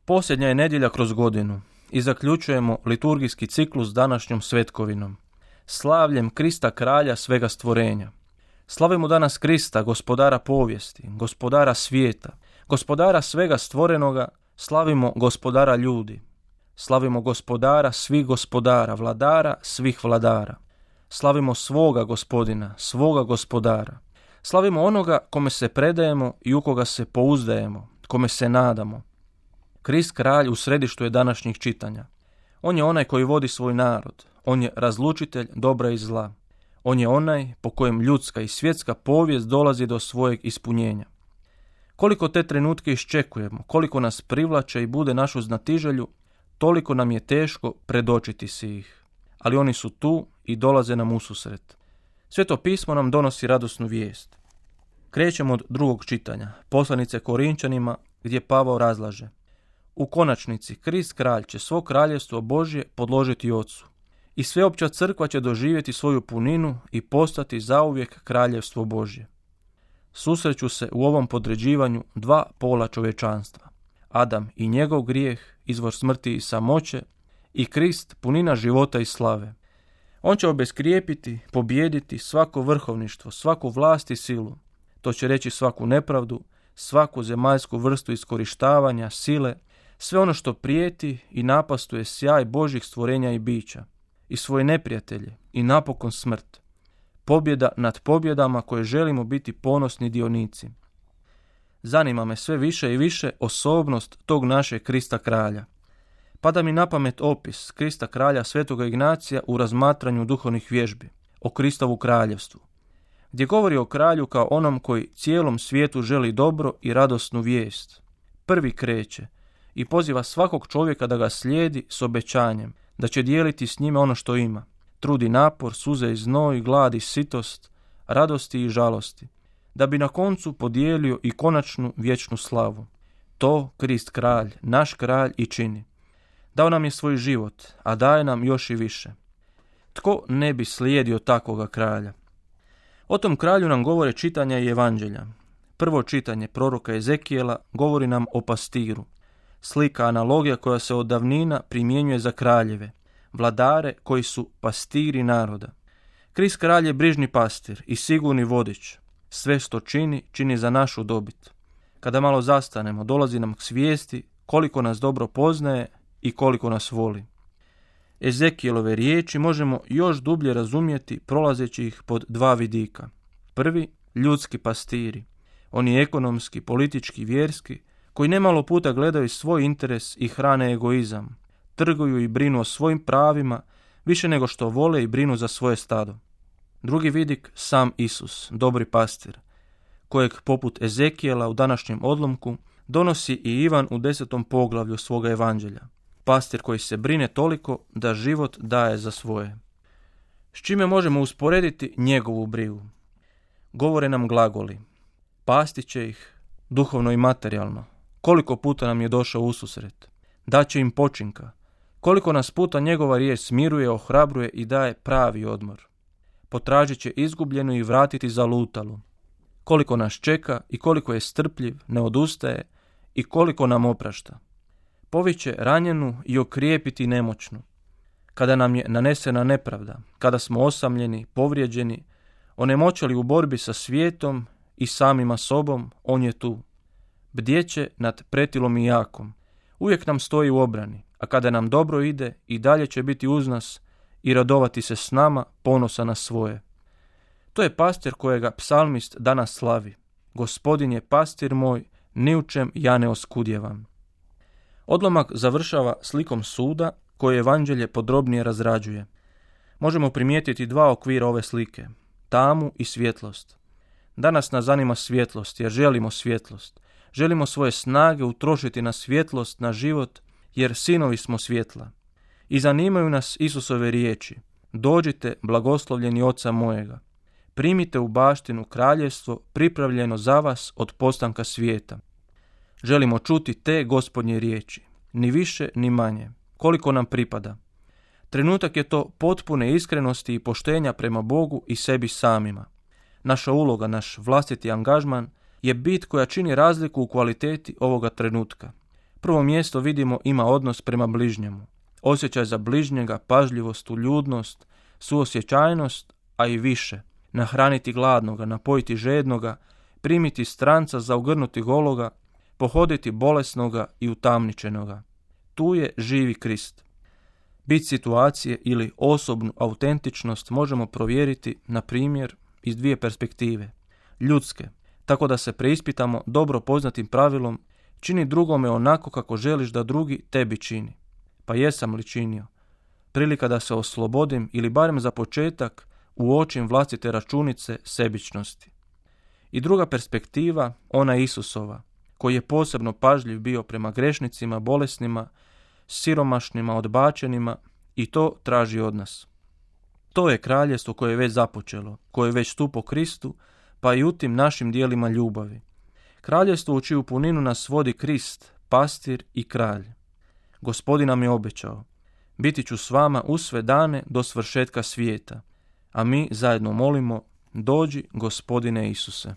Posljednja je nedjelja kroz godinu i zaključujemo liturgijski ciklus današnjom svetkovinom, slavljem Krista kralja svega stvorenja. Slavimo danas Krista, gospodara povijesti, gospodara svijeta, gospodara svega stvorenoga, slavimo gospodara ljudi. Slavimo gospodara svih gospodara, vladara svih vladara. Slavimo svoga gospodina, svoga gospodara. Slavimo onoga kome se predajemo i u koga se pouzdajemo, kome se nadamo. Krist kralj u središtu je današnjih čitanja. On je onaj koji vodi svoj narod. On je razlučitelj dobra i zla. On je onaj po kojem ljudska i svjetska povijest dolazi do svojeg ispunjenja. Koliko te trenutke iščekujemo, koliko nas privlače i bude našu znatiželju, toliko nam je teško predočiti si ih. Ali oni su tu i dolaze nam ususret. Sveto pismo nam donosi radosnu vijest. Krećemo od drugog čitanja, poslanice Korinčanima, gdje Pavao razlaže: u konačnici Krist kralj će svo kraljevstvo Božje podložiti Ocu i sveopća crkva će doživjeti svoju puninu i postati zauvijek kraljevstvo Božje. Susreću se u ovom podređivanju dva pola čovječanstva. Adam i njegov grijeh, izvor smrti i samoće, i Krist, punina života i slave. On će obeskrijepiti, pobijediti svako vrhovništvo, svaku vlast i silu. To će reći svaku nepravdu, svaku zemaljsku vrstu iskorištavanja, sile, sve ono što prijeti i napastuje sjaj Božjih stvorenja i bića, i svoje neprijatelje, i napokon smrt. Pobjeda nad pobjedama koje želimo biti ponosni dionici. Zanima me sve više i više osobnost tog našeg Krista kralja. Pada mi na pamet opis Krista kralja Svetoga Ignacija u razmatranju duhovnih vježbi, o Kristovu kraljevstvu, gdje govori o kralju kao onom koji cijelom svijetu želi dobro i radosnu vijest. Prvi kreće i poziva svakog čovjeka da ga slijedi s obećanjem, da će dijeliti s njime ono što ima. Trudi napor, suze i znoj, glad i sitost, radosti i žalosti, da bi na koncu podijelio i konačnu vječnu slavu. To Krist kralj, naš kralj, i čini. Dao nam je svoj život, a daje nam još i više. Tko ne bi slijedio takvoga kralja? O tom kralju nam govore čitanja i evanđelja. Prvo čitanje proroka Ezekijela govori nam o pastiru. Slika, analogija koja se od davnina primjenjuje za kraljeve, vladare koji su pastiri naroda. Krist kralj je brižni pastir i sigurni vodič. Sve što čini, čini za našu dobit. Kada malo zastanemo, dolazi nam k svijesti koliko nas dobro poznaje i koliko nas voli. Ezekijelove riječi možemo još dublje razumjeti prolazeći ih pod dva vidika. Prvi, ljudski pastiri. Oni ekonomski, politički, vjerski, koji nemalo puta gledaju svoj interes i hrane egoizam, trguju i brinu o svojim pravima više nego što vole i brinu za svoje stado. Drugi vidik, sam Isus, dobri pastir, kojeg poput Ezekijela u današnjem odlomku donosi i Ivan u 10. poglavlju svoga evanđelja. Pastir koji se brine toliko da život daje za svoje. S čime možemo usporediti njegovu brigu? Govore nam glagoli. Pasti će ih duhovno i materijalno. Koliko puta nam je došao ususret. Daće im počinka. Koliko nas puta njegova riječ smiruje, ohrabruje i daje pravi odmor. Potražit će izgubljenu i vratiti zalutalu. Koliko nas čeka i koliko je strpljiv, ne odustaje i koliko nam oprašta. Poviće ranjenu i okrijepiti nemoćnu. Kada nam je nanesena nepravda, kada smo osamljeni, povrijeđeni, onemoćali u borbi sa svijetom i samima sobom, on je tu. Bdjeće nad pretilom i jakom. Uvijek nam stoji u obrani, a kada nam dobro ide i dalje će biti uz nas i radovati se s nama, ponosa na svoje. To je pastir kojega psalmist danas slavi. Gospodin je pastir moj, ni u čem ja ne oskudjevam. Odlomak završava slikom suda koje evanđelje podrobnije razrađuje. Možemo primijetiti dva okvira ove slike, tamu i svjetlost. Danas nas zanima svjetlost jer želimo svjetlost. Želimo svoje snage utrošiti na svjetlost, na život, jer sinovi smo svjetla. I zanimaju nas Isusove riječi. Dođite, blagoslovljeni Oca mojega. Primite u baštinu kraljevstvo pripravljeno za vas od postanka svijeta. Želimo čuti te Gospodnje riječi, ni više ni manje, koliko nam pripada. Trenutak je to potpune iskrenosti i poštenja prema Bogu i sebi samima. Naša uloga, naš vlastiti angažman je bit koja čini razliku u kvaliteti ovoga trenutka. Prvo mjesto vidimo ima odnos prema bližnjemu. Osjećaj za bližnjega, pažljivost, uljudnost, suosjećajnost, a i više. Nahraniti gladnoga, napojiti žednoga, primiti stranca, zaogrnuti gologa, pohoditi bolesnoga i utamničenoga. Tu je živi Krist. Bit situacije ili osobnu autentičnost možemo provjeriti, na primjer, iz dvije perspektive. Ljudske, tako da se preispitamo dobro poznatim pravilom čini drugome onako kako želiš da drugi tebi čini. Pa jesam li činio? Prilika da se oslobodim ili barem za početak uočim vlastite računice sebičnosti. I druga perspektiva, ona Isusova, koji je posebno pažljiv bio prema grešnicima, bolesnima, siromašnima, odbačenima i to traži od nas. To je kraljestvo koje je već započelo, koje je već tu po Kristu, pa i u tim našim dijelima ljubavi. Kraljestvo u čiju puninu nas vodi Krist, pastir i kralj. Gospodin nam je obećao, biti ću s vama u sve dane do svršetka svijeta, a mi zajedno molimo, dođi Gospodine Isuse.